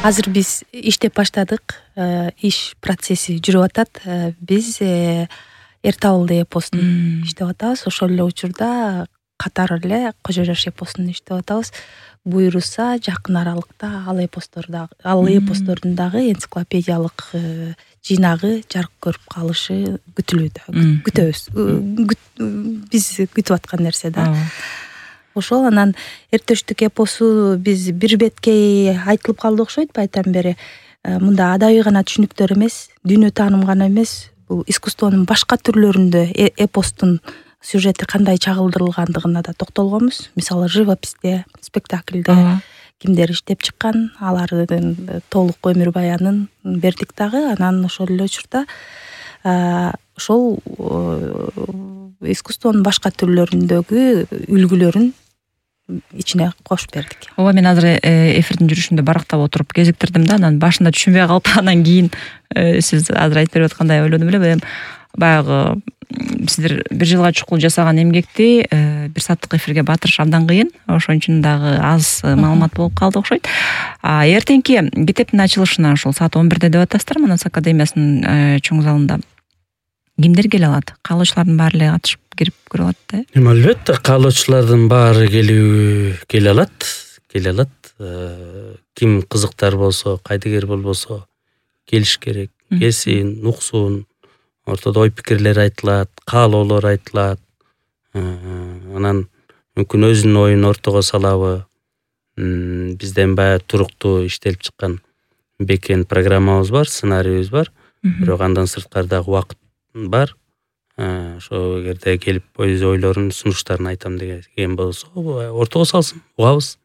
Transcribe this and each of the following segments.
Азыр биз иштеп баштадык. Иш процесси жүрүп атат. Биз Эрте Ауылда эпостун иштеп атабыз. Ошол эле учурда катар эле Кожо Жаш эпостун иштеп атабыз. Буйруса жакын аралыкта ал эпостордун дагы энциклопедиялык жыйнагы жарык көрүп калышы күтүлүүдө. Күтөбүз. Биз күтүп аткан нерсе да. Ошол анан эртештик эпосу биз бир беткей айтылып калды окшойт айтан бери. Мында адабий гана түшүнүктөр эмес, дүйнө тааным гана эмес, бул искусствонун башка түрлөрүндө эпостун сюжети кандай чагылдырылгандыгына да токтолгонбуз. Мисалы, живописте, спектакльде кимдер иштеп чыккан, алардын толук өмүр баянын бердик дагы. Анан ошол эле учурда ошол искусствонун башка түрлөрүндөгү үлгүлөрүн ичине кошуп бердик. Ооба, мен азыр эфирдин жүрүшүндө барактап отуруп кезиктирдим да, анан башында түшүнбөй калып, анан кийин сиз азыр айтып берип аткандай ойлодум эле. Баягы сиздер бир жылга чукул жасаган эмгекти бир сааттык эфирге батырыш абдан кыйын. Ошон үчүн дагы аз маалымат болуп калды окшойт. Эртеңки китептин ачылышына ошол саат 11-де деп атасыздар Манас академиясынын чоң залында. Кимдер келе алат? Каалоочулардын баары эле катышып кирип көрө алат да? Албетте, каалоочулардын баары келе алат. Ким кызыктар болсо, кайдыгер болбосо келиш керек. Келсин, уксун. Ортодо ой пикирлер айтылат, каалоолор айтылат. Анан мүмкүн өзүнүн оюн ортого салабы. Бизден баягы туруктуу иштелип чыккан бекен программабыз бар, сценарийибиз бар. Бирок андан сырткары дагы убакыт бар. Ошо эгерде келип өз ойлорун, сунуштарын айтам деген болсо, ортого салсын, угабыз.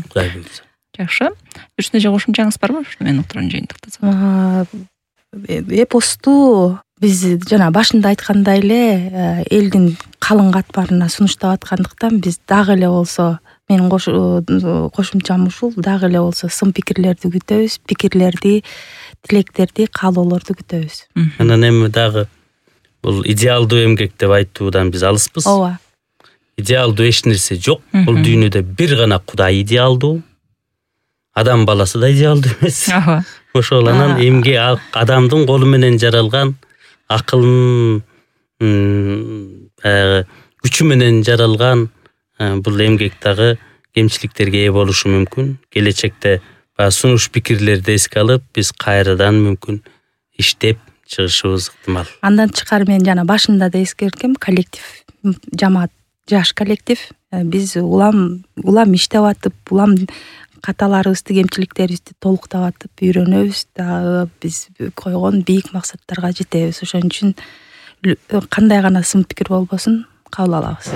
Кудай буйрса. Жакшы. Үстүнө же кошумчаңыз барбы? Мен уктурган жыйынтыктасам. Эпосту биз жана башында айткандай эле элдин калың катмарына сунуштап аткандыктан биз дагы эле болсо, менин кошумчам ушул, дагы эле болсо сын пикирлерди күтөбүз, пикирлерди, тилектерди, каалоолорду күтөбүз. Анан эми дагы бул идеалдуу эмгек деп айтуудан биз алыспыз. Ооба. Идеалдуу эч нерсе жок. Бул дүйнөдө бир гана Кудай идеалдуу. Адам баласы да идеалдуу эмес. Ошол анан эмге адамдын колу менен жаралган, акылынын күчү менен жаралган бул эмгек дагы кемчиликтерге ээ болушу мүмкүн. Келечекте сунуш пикирлерди эске алып, биз кайрадан мүмкүн иштеп чыгышыбыз ыктымал. Андан тышкары мен жана башында да эскерткем, коллектив, жамаат, жаш коллектив. Биз улам иштеп атып, улам каталарыбызды, кемчиликтерибизди толуктап атып үйрөнөбүз дагы, биз койгон бийик максаттарга жетебиз. Ошон үчүн кандай гана сын пикир болбосун кабыл алабыз.